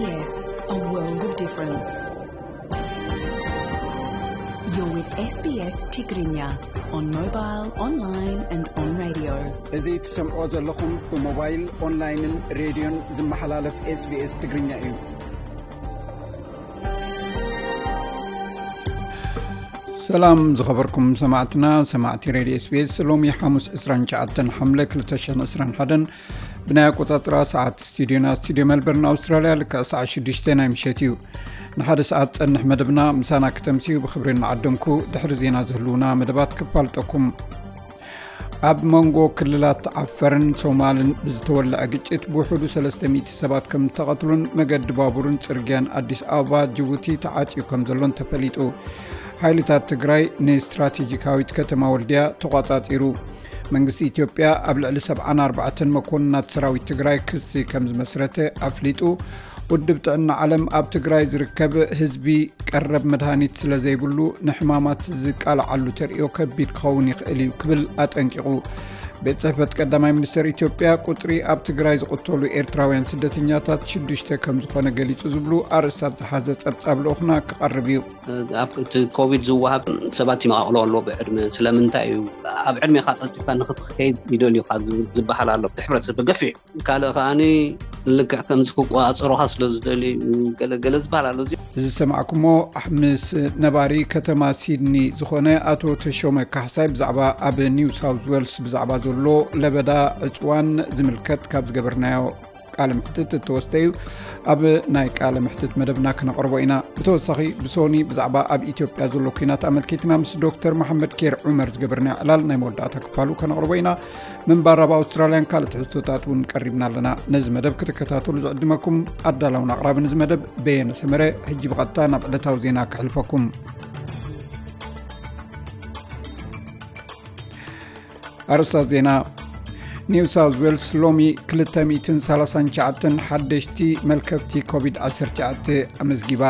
Yes, a world of difference. You're with S B S Tigrinya on mobile, online and on radio. እዚ ትሰምዖ ዘለኹም ብሞባይል፣ ኦንላይንን ሬድዮን ዝመሓላለፍ SBS ትግርኛ እዩ። ሰላም ዝኸበርኩም ሰማዕትና፣ ሰማዕቲ ሬድዮ SBS። ሎሚ ሓሙስ ዕስራን ትሽዓተን ሓምለ ክልተ ሽሕን ዕስራን ሓደን ብናይ ኣቆጻጽራ ሰዓት ስቱዲዮና፣ ስቱዲዮ ሜልበርን ኣውስትራልያ፣ ልክዕ ሰዓት ሽዱሽተ ናይ ምሸት እዩ። ንሓደ ሰዓት ጸንሕ መደብና ምሳና ክተምስዩ ብኽብሪ እናዓደምኩ፣ ድሕሪ ዜና ዝህልውና መደባት ክፋልጠኩም። ኣብ መንጎ ክልላት ዓፈርን ሶማልን ብዝተወልዐ ግጭት ብውሕዱ ሰለስተ ሚእቲ ሰባት ከም ዝተቐትሉን መገዲ ባቡርን ጽርግያን ኣዲስ ኣበባ ጅቡቲ ተዓጽዩ ከም ዘሎን ተፈሊጡ። ሓይልታት ትግራይ ንስትራቴጂካዊት ከተማ ወልድያ ተቋጻጺሩ። መንግስቲ ኢትዮጵያ ኣብ ልዕሊ ሰብዓን ኣርባዕተን መኮንናት ሰራዊት ትግራይ ክሲ ከም ዝመስረተ ኣፍሊጡ። ውድብ ጥዕና ዓለም ኣብ ትግራይ ዝርከብ ህዝቢ ቀረብ መድሃኒት ስለ ዘይብሉ ንሕማማት ዝቃልዓሉ ተርእዮ ከቢድ ክኸውን ይኽእል እዩ ክብል ኣጠንቂቑ። ቤት ጽሕፈት ቀዳማይ ሚኒስትር ኢትዮጵያ ቁጽሪ ኣብ ትግራይ ዝቕተሉ ኤርትራውያን ስደተኛታት ሽዱሽተ ከም ዝኾነ ገሊጹ ዝብሉ ኣርእስታት ዝሓዘ ጸብጻብ ልኡኽና ክቐርብ እዩ። ኣብ እቲ ኮቪድ ዝወሃብ ሰባት ይመቓቕሎ ኣሎ ብዕድመ። ስለምንታይ እዩ ኣብ ዕድሜኻ ቀልጢፍካ ንኽትኸይድ ይደልዩኻ ዝብል ዝበሃል ኣሎ። እቲ ሕብረተሰብ ገፊሕ ካልእ ከኣኒ ልክዕ ከምዚ ክቆጻጸሩኻ ስለ ዝደልዩ ገለ ገለ ዝበሃል ኣሎ። እዚ እዚ ዝሰማዕኩሞ ምስ ነባሪ ከተማ ሲድኒ ዝኾነ ኣቶ ተሾመ ካሕሳይ ብዛዕባ ኣብ ኒው ሳውዝ ዌልስ ብዛዕባ ዘሎ ለበዳ ዕጽዋን ዝምልከት ካብ ዝገበርናዮ ቃለ ምሕትት እተወስደ እዩ። ኣብ ናይ ቃለ ምሕትት መደብና ክነቕርቦ ኢና። ብተወሳኺ ብሶኒ ብዛዕባ ኣብ ኢትዮጵያ ዘሎ ኲናት ኣመልኪትና ምስ ዶክተር መሓመድ ኬር ዑመር ዝገበርናዮ ዕላል ናይ መወዳእታ ክፋሉ ከነቕርቦ ኢና። ምንባር ኣብ ኣውስትራልያን ካልእ ትሕዝቶታት እውን ቀሪብና ኣለና። ነዚ መደብ ክትከታተሉ ዝዕድመኩም ኣዳላውን ኣቕራብን እዚ መደብ በየነ ሰመረ። ሕጂ ብቐጥታ ናብ ዕለታዊ ዜና ከሕልፈኩም። ኣርእስታት ዜና። ኒው ሳውዝ ዌልስ ሎሚ ክልተ ሚእትን ሰላሳን ትሽዓተን ሓደሽቲ መልከፍቲ ኮቪድ ዓሰርተ ትሽዓተ ኣመዝጊባ።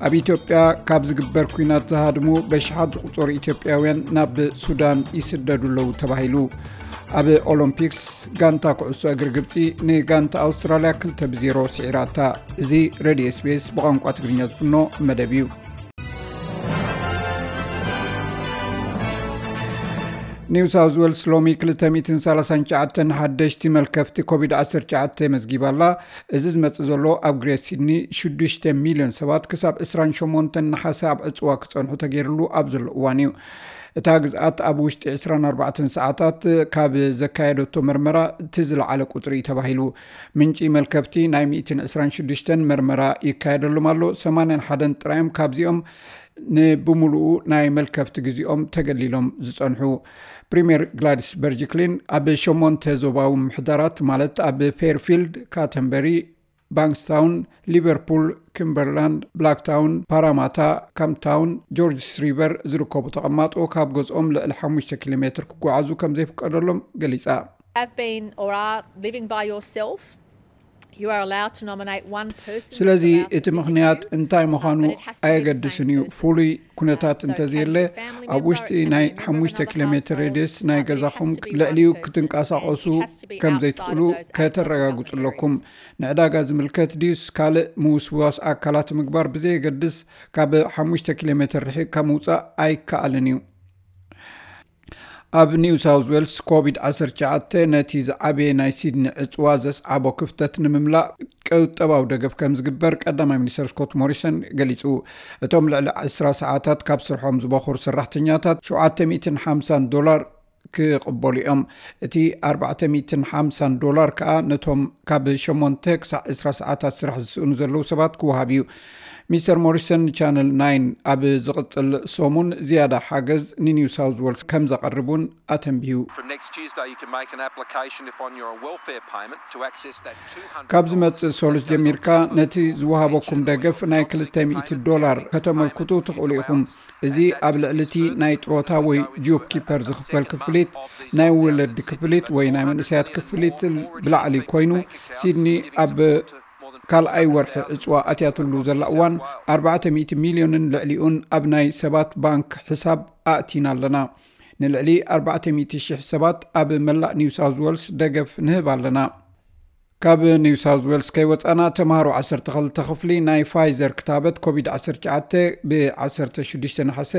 ኣብ ኢትዮጵያ ካብ ዝግበር ኲናት ዝሃድሙ በሽሓት ዝቑጸሩ ኢትዮጵያውያን ናብ ሱዳን ይስደዱ ኣለዉ ተባሂሉ። ኣብ ኦሎምፒክስ ጋንታ ኩዕሶ እግሪ ግብጺ ንጋንታ ኣውስትራልያ ክልተ ብዜሮ ስዒራታ። እዚ ሬድዮ SBS ብቋንቋ ትግርኛ ዝፍኖ መደብ እዩ። ኒው ሳውዝ ዌልስ ሎሚ ክልተ ሚእትን ሰላሳን ትሽዓተን ሓደሽቲ መልከፍቲ ኮቪድ ዓሰርተ ትሽዓተ መዝጊባ ኣላ። እዚ ዝመጽእ ዘሎ ኣብ ግሬት ሲድኒ ሽዱሽተ ሚልዮን ሰባት ክሳብ ዕስራን ሸሞንተን ነሓሰ ኣብ ዕጽዋ ክጸንሑ ተገይርሉ ኣብ ዘሎ እዋን እዩ። እታ ግዝኣት ኣብ ውሽጢ ዕስራን ኣርባዕተን ሰዓታት ካብ ዘካየደቶ መርመራ እቲ ዝለዓለ ቁጽሪ እዩ ተባሂሉ። ምንጪ መልከፍቲ ናይ ሚእትን ዕስራን ሽዱሽተን መርመራ ይካየደሎም ኣሎ። ሰማንያን ሓደን ጥራዮም ካብዚኦም ንብምሉኡ ናይ መልከፍቲ ግዜኦም ተገሊሎም ዝጸንሑ። ፕሪምየር ግላዲስ በርጅክሊን ኣብ ሸሞንተ ዞባዊ ምምሕዳራት ማለት ኣብ ፌርፊልድ፣ ካተንበሪ፣ ባንክስታውን፣ ሊቨርፑል፣ ኪምበርላንድ፣ ብላክታውን፣ ፓራማታ፣ ካምፕታውን፣ ጆርጅስ ሪቨር ዝርከቡ ተቐማጦ ካብ ገዝኦም ልዕሊ ሓሙሽተ ኪሎ ሜትር ክጓዓዙ ከም ዘይፍቀደሎም ገሊጻ። Have been or are living by yourself, you are allowed to nominate one person. ስለዚ እቲ ምኽንያት እንታይ ምዃኑ ኣየገድስን እዩ። ፍሉይ ኩነታት እንተዘየለ፣ ኣብ ውሽጢ ናይ ሓሙሽተ ኪሎ ሜትር ሬድየስ ናይ ገዛኹም ልዕሊኡ ክትንቀሳቐሱ ከም ዘይትኽእሉ ከተረጋግጹ ኣለኩም። ንዕዳጋ ዝምልከት ድዩስ ካልእ ምውስዋስ ኣካላት ምግባር ብዘየገድስ፣ ካብ ሓሙሽተ ኪሎ ሜትር ርሒቕካ ምውጻእ ኣይከኣልን እዩ። ኣብ ኒው ሳውዝ ዌልስ ኮቪድ ዓሰርተ ትሽዓተ ነቲ ዝዓበየ ናይ ሲድኒ ዕጽዋ ዘስዓቦ ክፍተት ንምምላእ ቁጠባዊ ደገፍ ከም ዝግበር ቀዳማይ ሚኒስተር ስኮት ሞሪሰን ገሊጹ። እቶም ልዕሊ ዕስራ ሰዓታት ካብ ስርሖም ዝበኹር ሰራሕተኛታት ሸውዓተ ሚእትን ሓምሳን ዶላር ክቕበሉ እዮም። እቲ ኣርባዕተ ሚእትን ሓምሳን ዶላር ከኣ ነቶም ካብ ሸሞንተ ክሳዕ ዕስራ ሰዓታት ስራሕ ዝስእኑ ዘለዉ ሰባት ክወሃብ እዩ። ሚስተር ሞሪሰን ንቻነል ናይን ኣብ ዝቕጽል ሰሙን ዝያዳ ሓገዝ ንኒው ሳውዝ ዌልስ ከም ዘቐርብ እውን ኣተንቢሁ። From next Tuesday, you can make an application if on your welfare payment to access that ካብ ዝመጽእ ሶሉስ ጀሚርካ ነቲ ዝወሃበኩም ደገፍ ናይ ክልተ ሚእቲ ዶላር ከተመልክቱ ትኽእሉ ኢኹም። እዚ ኣብ ልዕሊ እቲ ናይ ጥሮታ ወይ ጆብ ኪፐር ዝኽፈል ክፍሊት፣ ናይ ወለዲ ክፍሊት ወይ ናይ መንእሰያት ክፍሊት ብላዕሊ ኮይኑ፣ ሲድኒ ኣብ ካልኣይ ወርሒ ዕጽዋ ኣትያትሉ ዘላ እዋን ኣርባዕተ ሚእቲ ሚልዮንን ልዕሊኡን ኣብ ናይ ሰባት ባንክ ሕሳብ ኣእቲና ኣለና። ንልዕሊ ኣርባዕተ ሚእቲ ሽሕ ሰባት ኣብ መላእ ኒው ሳውዝ ዌልስ ደገፍ ንህብ ኣለና። ካብ ኒው ሳውዝ ዌልስ ከይወፃና፣ ተምሃሮ ዓሰርተ ክልተ ክፍሊ ናይ ፋይዘር ክታበት ኮቪድ ዓሰርተ ትሽዓተ ብ ዓሰርተ ሽዱሽተ ነሓሰ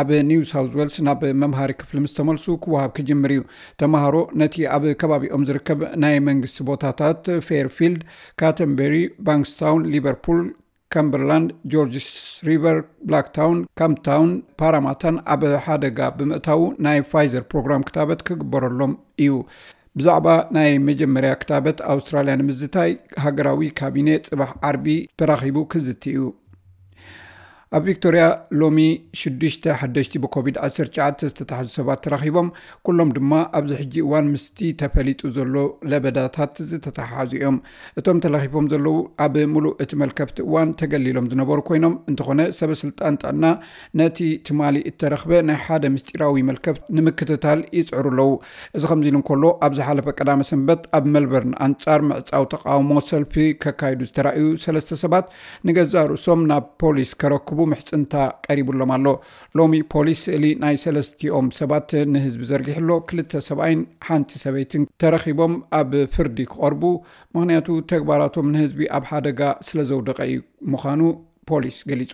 ኣብ ኒው ሳውዝ ዌልስ ናብ መምሃሪ ክፍሊ ምስ ተመልሱ ክወሃብ ክጅምር እዩ። ተምሃሮ ነቲ ኣብ ከባቢኦም ዝርከብ ናይ መንግስቲ ቦታታት ፌርፊልድ፣ ካተንበሪ፣ ባንክስታውን፣ ሊቨርፑል፣ ከምበርላንድ፣ ጆርጅስ ሪቨር፣ ብላክታውን፣ ካምፕታውን፣ ፓራማታን ኣብ ሓደጋ ብምእታዉ ናይ ፋይዘር ፕሮግራም ክታበት ክግበረሎም እዩ። ብዛዕባ ናይ መጀመርያ ክታበት ኣውስትራልያ ንምዝታይ ሃገራዊ ካቢኔ ጽባሕ ዓርቢ ተራኺቡ ክዝቲ እዩ። ኣብ ቪክቶርያ ሎሚ ሽዱሽተ ሓደሽቲ ብኮቪድ ዓሰርተ ትሽዓተ ዝተታሕዙ ሰባት ተራኺቦም፣ ኩሎም ድማ ኣብዚ ሕጂ እዋን ምስቲ ተፈሊጡ ዘሎ ለበዳታት ዝተተሓሓዙ እዮም። እቶም ተለኺፎም ዘለዉ ኣብ ሙሉእ እቲ መልከፍቲ እዋን ተገሊሎም ዝነበሩ ኮይኖም፣ እንተኾነ ሰበ ስልጣን ጥዕና ነቲ ትማሊ እተረኽበ ናይ ሓደ ምስጢራዊ መልከፍቲ ንምክትታል ይጽዕሩ ኣለዉ። እዚ ከምዚ ኢሉ እንከሎ፣ ኣብ ዝሓለፈ ቀዳመ ሰንበት ኣብ ሜልበርን ኣንጻር ምዕጻው ተቃውሞ ሰልፊ ከካይዱ ዝተራእዩ ሰለስተ ሰባት ንገዛእ ርእሶም ናብ ፖሊስ ከረክቡ ምሕጽንታ ቀሪቡሎም ኣሎ። ሎሚ ፖሊስ ስእሊ ናይ ሰለስቲኦም ሰባት ንህዝቢ ዘርጊሑ ኣሎ። ክልተ ሰብኣይን ሓንቲ ሰበይትን ተረኺቦም ኣብ ፍርዲ ክቐርቡ፣ ምኽንያቱ ተግባራቶም ንህዝቢ ኣብ ሓደጋ ስለ ዘውደቐ እዩ ምዃኑ ፖሊስ ገሊጹ።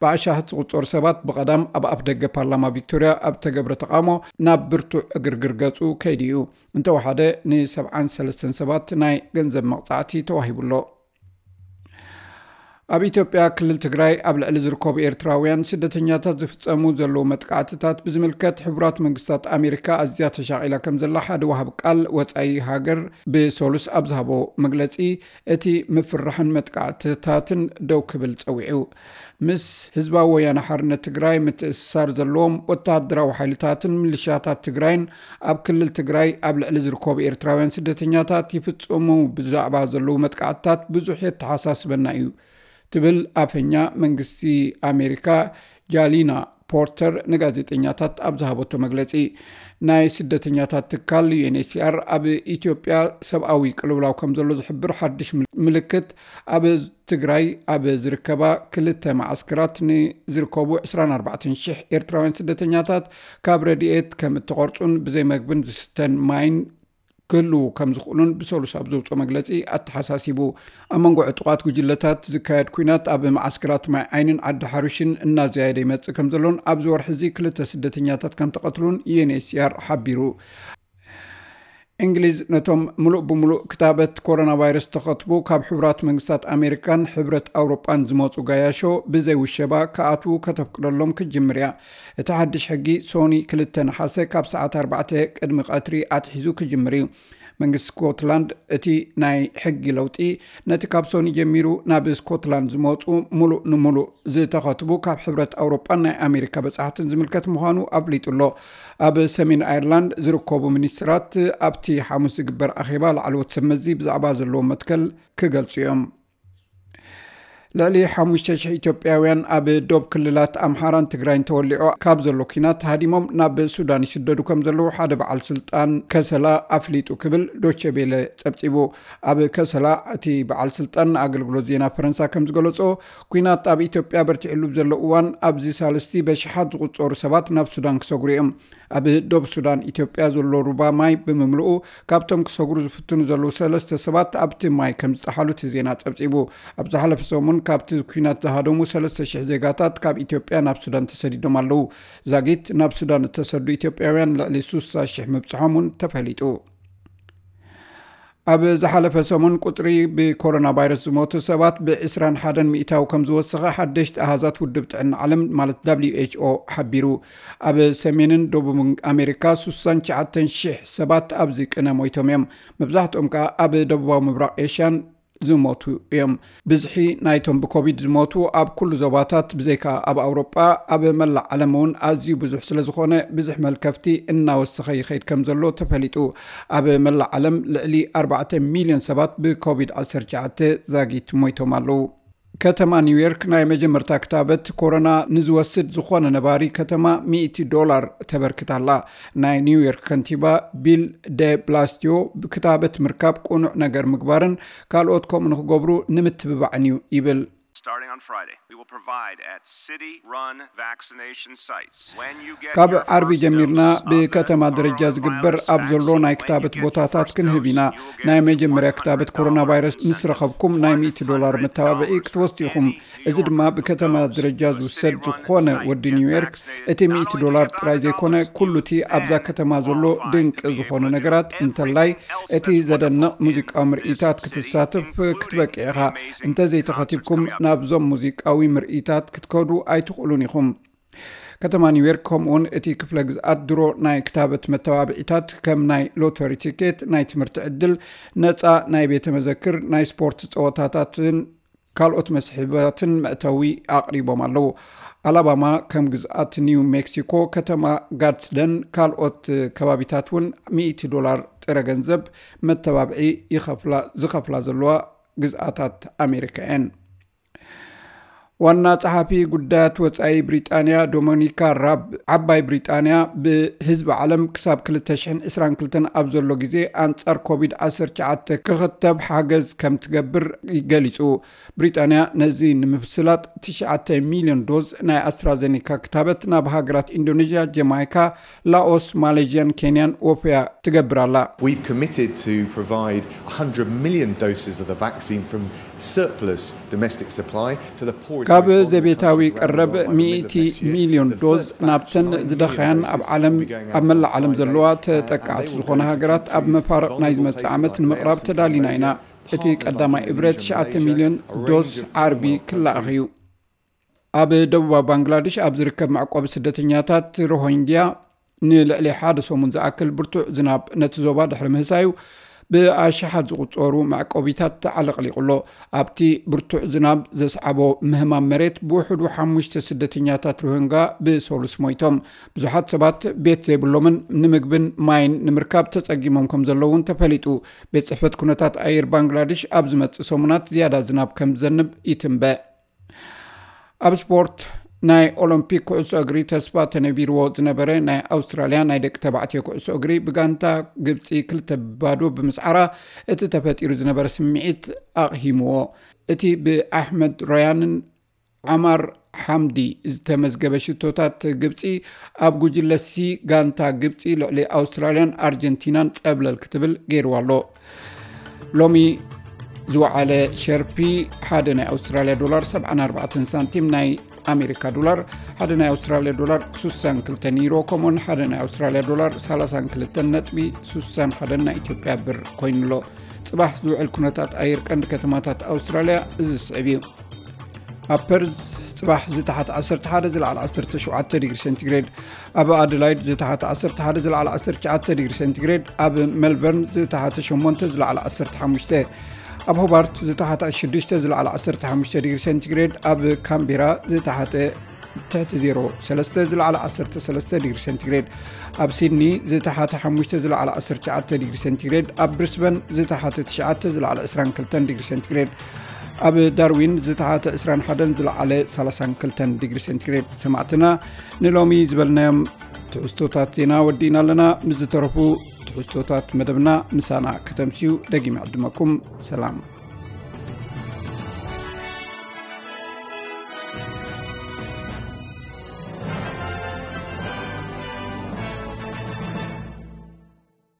ብኣሻሓት ዝቑጸሩ ሰባት ብቐዳም ኣብ ኣፍ ደገ ፓርላማ ቪክቶርያ ኣብ ተገብረ ተቃውሞ ናብ ብርቱዕ ዕግርግር ገጹ ከይዱ እዩ። እንተወሓደ ን ሰብዓን ሰለስተን ሰባት ናይ ገንዘብ መቕጻዕቲ ተዋሂቡ ኣሎ። ኣብ ኢትዮጵያ ክልል ትግራይ ኣብ ልዕሊ ዝርከቡ ኤርትራውያን ስደተኛታት ዝፍጸሙ ዘለዉ መጥቃዕትታት ብዝምልከት ሕቡራት መንግስታት ኣሜሪካ ኣዝያ ተሻቒላ ከም ዘላ ሓደ ወሃቢ ቃል ወጻኢ ሃገር ብሰሉስ ኣብ ዝሃቦ መግለጺ፣ እቲ ምፍርራሕን መጥቃዕትታትን ደው ክብል ጸዊዑ። ምስ ህዝባዊ ወያነ ሓርነት ትግራይ ምትእስሳር ዘለዎም ወተሃደራዊ ሓይልታትን ሚሊሻታት ትግራይን ኣብ ክልል ትግራይ ኣብ ልዕሊ ዝርከቡ ኤርትራውያን ስደተኛታት ይፍጽሙ ብዛዕባ ዘለዉ መጥቃዕትታት ብዙሕ የተሓሳስበና እዩ፣ ትብል ኣፈኛ መንግስቲ ኣሜሪካ ጃሊና ፖርተር ንጋዜጠኛታት ኣብ ዝሃበቶ መግለጺ። ናይ ስደተኛታት ትካል ዩ ኤን ኤች ሲ ኣር ኣብ ኢትዮጵያ ሰብኣዊ ቅልውላው ከም ዘሎ ዝሕብር ሓድሽ ምል-፣ ምልክት፣ ኣብ ትግራይ ኣብ ዝርከባ ክልተ መዓስከራት ንዝርከቡ ዕስራን ኣርባዕተን ሽሕ ኤርትራውያን ስደተኛታት ካብ ረድኤት ከም እተቖርጹን ብዘይ መግብን ዝስተን ማይን ክህልዉ ከም ዝኽእሉን ብሰሉስ ኣብ ዘውፅኦ መግለፂ ኣተሓሳሲቡ። ኣብ መንጎ ዕጡቓት ጉጅለታት ዝካየድ ኲናት ኣብ መዓስከራት ማይ ዓይንን ዓዲ ሓሩሽን እናዘያየደ ይመፅእ ከም ዘሎን ኣብዚ ወርሒ እዚ ክልተ ስደተኛታት ከም ተቐትሉን ዩ ኤን ኤች ሲ ኣር ሓቢሩ። እንግሊዝ ነቶም ምሉእ ብምሉእ ክታበት ኮሮና ቫይረስ ተኸትቡ ካብ ሕቡራት መንግስታት ኣሜሪካን ሕብረት ኣውሮጳን ዝመፁ ጋያሾ ብዘይ ውሸባ ክኣትዉ ከተፍቅደሎም ክትጅምር እያ። እቲ ሓድሽ ሕጊ ሶኒ ክልተ ነሓሰ ካብ ሰዓት ኣርባዕተ ቅድሚ ቀትሪ ኣትሒዙ ክጅምር እዩ። መንግስቲ ስኮትላንድ እቲ ናይ ሕጊ ለውጢ ነቲ ካብ ሶኒ ጀሚሩ ናብ ስኮትላንድ ዝመፁ ሙሉእ ንሙሉእ ዝተኸትቡ ካብ ሕብረት ኣውሮጳን ናይ ኣሜሪካ በጻሕትን ዝምልከት ምዃኑ ኣፍሊጡ ኣሎ። ኣብ ሰሜን ኣየርላንድ ዝርከቡ ሚኒስትራት ኣብቲ ሓሙስ ዝግበር ኣኼባ ላዕለዎት ሰብ መዚ ብዛዕባ ዘለዎ መትከል ክገልጹ እዮም። ልዕሊ ሓሙሽተ ሽሕ ኢትዮጵያውያን ኣብ ዶብ ክልላት ኣምሓራን ትግራይን ተወሊዑ ካብ ዘሎ ኲናት ሃዲሞም ናብ ሱዳን ይስደዱ ከም ዘለዉ ሓደ በዓል ስልጣን ከሰላ ኣፍሊጡ ክብል ዶቼ ቤለ ጸብጺቡ። ኣብ ከሰላ እቲ በዓል ስልጣን ንኣገልግሎት ዜና ፈረንሳ ከም ዝገለጾ፣ ኲናት ኣብ ኢትዮጵያ በርቲዕሉ ብዘሎ እዋን ኣብዚ ሳልስቲ በሽሓት ዝቑጸሩ ሰባት ናብ ሱዳን ክሰግሩ እዮም። ኣብ ዶብ ሱዳን ኢትዮጵያ ዘሎ ሩባ ማይ ብምምልኡ ካብቶም ክሰግሩ ዝፍትኑ ዘለዉ ሰለስተ ሰባት ኣብቲ ማይ ከም ዝጠሓሉ እቲ ዜና ጸብጺቡ። ኣብ ዝሓለፈ ሰሙን ካብቲ ኲናት ዝሃደሙ ሰለስተ ሽሕ ዜጋታት ካብ ኢትዮጵያ ናብ ሱዳን ተሰዲዶም ኣለዉ። ዛጊት ናብ ሱዳን እተሰዱ ኢትዮጵያውያን ልዕሊ ስሳ ሽሕ ምብጽሖም እውን ተፈሊጡ። ኣብ ዝሓለፈ ሰሙን ቁጽሪ ብኮሮና ቫይረስ ዝሞቱ ሰባት ብ ዕስራን ሓደን ሚእታዊ ከም ዝወሰኸ ሓደሽቲ ኣሃዛት ውድብ ጥዕና ዓለም ማለት ደብሊው ኤች ኦ ሓቢሩ። ኣብ ሰሜንን ደቡብን ኣሜሪካ ስሳን ትሽዓተን ሽሕ ሰባት ኣብዚ ቅነ ሞይቶም እዮም። መብዛሕትኦም ከኣ ኣብ ደቡባዊ ምብራቕ ኤሽያን ዝሞቱ እዮም። ብዝሒ ናይቶም ብኮቪድ ዝሞቱ ኣብ ኩሉ ዞባታት ብዘይካ ኣብ ኣውሮጳ ኣብ መላእ ዓለም እውን ኣዝዩ ብዙሕ ስለ ዝኾነ፣ ብዙሕ መልከፍቲ እናወሰኸ ይኸይድ ከም ዘሎ ተፈሊጡ። ኣብ መላእ ዓለም ልዕሊ ኣርባዕተ ሚልዮን ሰባት ብኮቪድ ዓሰርተ ትሽዓተ ዛጊት ሞይቶም ኣለዉ። ከተማ ኒውዮርክ ናይ መጀመርታ ክታበት ኮሮና ንዝወስድ ዝኾነ ነባሪ ከተማ ሚእቲ ዶላር ተበርክት ኣላ። ናይ ኒውዮርክ ከንቲባ ቢል ደ ብላስቲዮ፣ ብክታበት ምርካብ ቅኑዕ ነገር ምግባርን ካልኦት ከምኡ ንክገብሩ ንምትብባዕን እዩ ይብል። Starting on Friday, we will provide at city-run vaccination sites. ካብ ዓርቢ ጀሚርና ብከተማ ደረጃ ዝግበር ኣብ ዘሎ ናይ ክታበት ቦታታት ክንህብ ኢና። ናይ መጀመርያ ክታበት ኮሮና ቫይረስ ምስ ረኸብኩም ናይ ሚእቲ ዶላር መተባብዒ ክትወስዱ ኢኹም። እዚ ድማ ብከተማ ደረጃ ዝውሰድ ዝኾነ ወዲ ኒውዮርክ እቲ ሚእቲ ዶላር ጥራይ ዘይኮነ ኩሉ እቲ ኣብዛ ከተማ ዘሎ ድንቂ ዝኾነ ነገራት እንተላይ እቲ ዘደንቕ ሙዚቃዊ ምርኢታት ክትሳተፍ ክትበቅዕ ኢኻ። እንተዘይተኸቲብኩም ናብዞም ሙዚቃዊ ምርኢታት ክትከዱ ኣይትኽእሉን ኢኹም። ከተማ ኒውዮርክ ከምኡውን እቲ ክፍለ ግዝኣት ድሮ ናይ ክታበት መተባብዒታት ከም ናይ ሎተሪ ቲኬት፣ ናይ ትምህርቲ ዕድል፣ ነፃ ናይ ቤተ መዘክር፣ ናይ ስፖርት ፀወታታትን ካልኦት መስሕባትን መእተዊ ኣቕሪቦም ኣለዉ። ኣላባማ ከም ግዝኣት ኒው ሜክሲኮ ከተማ ጋድስደን ካልኦት ከባቢታት እውን ሚእቲ ዶላር ጥረ ገንዘብ መተባብዒ ይኸፍላ ዝኸፍላ ዘለዋ ግዝኣታት ኣሜሪካ እየን። ዋና ጸሓፊ ጉዳያት ወጻኢ ብሪጣንያ ዶሚኒካ ራብ ዓባይ ብሪጣንያ ብህዝቢ ዓለም ክሳብ ክልተ ሽሕን ዕስራን ክልተን ኣብ ዘሎ ግዜ ኣንጻር ኮቪድ ዓሰርተ ትሽዓተ ክኽተብ ሓገዝ ከም ትገብር ገሊጹ። ብሪጣንያ ነዚ ንምስላጥ ትሽዓተ ሚልዮን ዶዝ ናይ ኣስትራዘኒካ ክታበት ናብ ሃገራት ኢንዶኔዥያ፣ ጀማይካ፣ ላኦስ፣ ማሌዥያን ኬንያን ወፍያ ትገብር ኣላ። We've committed to provide one hundred million doses of the vaccine from surplus domestic supply to the poorest ካብ ዘቤታዊ ቀረብ ሚእቲ ሚልዮን ዶዝ ናብተን ዝደኸያን ኣብ ዓለም ኣብ መላእ ዓለም ዘለዋ ተጠቃዕቲ ዝኾነ ሃገራት ኣብ መፋርቕ ናይ ዝመጽእ ዓመት ንምቕራብ ተዳሊና ኢና። እቲ ቀዳማይ እብረ ትሽዓተ ሚልዮን ዶዝ ዓርቢ ክለኣኽ እዩ። ኣብ ደቡባዊ ባንግላዴሽ ኣብ ዝርከብ መዕቆቢ ስደተኛታት ሮሂንግያ ንልዕሊ ሓደ ሰሙን ዝኣክል ብርቱዕ ዝናብ ነቲ ዞባ ድሕሪ ምህሳዩ ብኣሽሓት ዝቑጸሩ መዕቆቢታት ተዓለቕሊቑ ኣሎ። ኣብቲ ብርቱዕ ዝናብ ዘስዓቦ ምህማም መሬት ብውሕዱ ሓሙሽተ ስደተኛታት ሮሂንጋ ብሰሉስ ሞይቶም። ብዙሓት ሰባት ቤት ዘይብሎምን ንምግብን ማይን ንምርካብ ተጸጊሞም ከም ዘለዉ እውን ተፈሊጡ። ቤት ጽሕፈት ኩነታት ኣየር ባንግላዴሽ ኣብ ዝመጽእ ሰሙናት ዝያዳ ዝናብ ከም ዝዘንብ ይትንበ። ኣብ ስፖርት ናይ ኦሎምፒክ ኩዕሶ እግሪ ተስፋ ተነቢርዎ ዝነበረ ናይ ኣውስትራልያ ናይ ደቂ ተባዕትዮ ኩዕሶ እግሪ ብጋንታ ግብፂ ክልተ ባዶ ብምስዓራ እቲ ተፈጢሩ ዝነበረ ስምዒት ኣቕሂምዎ። እቲ ብኣሕመድ ሮያንን ዓማር ሓምዲ ዝተመዝገበ ሽቶታት ግብፂ ኣብ ጉጅለ ሲ ጋንታ ግብፂ ልዕሊ ኣውስትራልያን ኣርጀንቲናን ፀብለል ክትብል ገይርዋ ኣሎ። ሎሚ ዝወዓለ ሸርፊ ሓደ ናይ ኣውስትራልያ ዶላር ሰብዓን ኣርባዕተን ሳንቲም፣ ናይ ኣሜሪካ ዶላር ሓደ ናይ ኣውስትራልያ ዶላር ስሳን ክልተን ዩሮ፣ ከምኡውን ሓደ ናይ ኣውስትራልያ ዶላር ሰላሳን ክልተን ነጥቢ ስሳን ሓደን ናይ ኢትዮጵያ ብር ኮይኑሎ። ጽባሕ ዝውዕል ኩነታት ኣየር ቀንዲ ከተማታት ኣውስትራልያ እዚ ዝስዕብ እዩ። ኣብ ፐርዝ ጽባሕ ዝተሓት ዓሰርተ ሓደ ዝለዓል ዓሰርተ ሸውዓተ ዲግሪ ሴንቲግሬድ፣ ኣብ ኣደላይድ ዝተሓት ዓሰርተ ሓደ ዝለዓል ዓሰርተ ትሽዓተ ዲግሪ ሴንቲግሬድ፣ ኣብ ሜልበርን ዝተሓተ ሸሞንተ ዝለዓል ዓሰርተ ሓሙሽተ፣ ኣብ ሆባርት ዝተሓተ ሽዱሽተ ዝለዓል ዓሰርተ ሓሙሽተ ዲግሪ ሴንቲግሬድ፣ ኣብ ካምቤራ ዝተሓተ ትሕቲ ዜሮ ሰለስተ ዝለዓል ዓሰርተ ሰለስተ ዲግሪ ሴንቲግሬድ፣ ኣብ ሲድኒ ዝተሓተ ሓሙሽተ ዝለዓል ዓሰርተ ትሽዓተ ዲግሪ ሴንቲግሬድ፣ ኣብ ብሪስበን ዝተሓተ ትሽዓተ ዝለዓል ዕስራን ክልተን ዲግሪ ሴንቲግሬድ፣ ኣብ ዳርዊን ዝተሓተ ዕስራን ሓደን ዝለዓለ ሰላሳን ክልተን ዲግሪ ሴንቲግሬድ። ሰማዕትና ንሎሚ ዝበልናዮም ትሕዝቶታት ዜና ወዲእና ኣለና። ምስ ዝተረፉ ትሕዝቶታት መደብና ምሳና ከተምስዩ ደጊመ ዕድመኩም። ሰላም።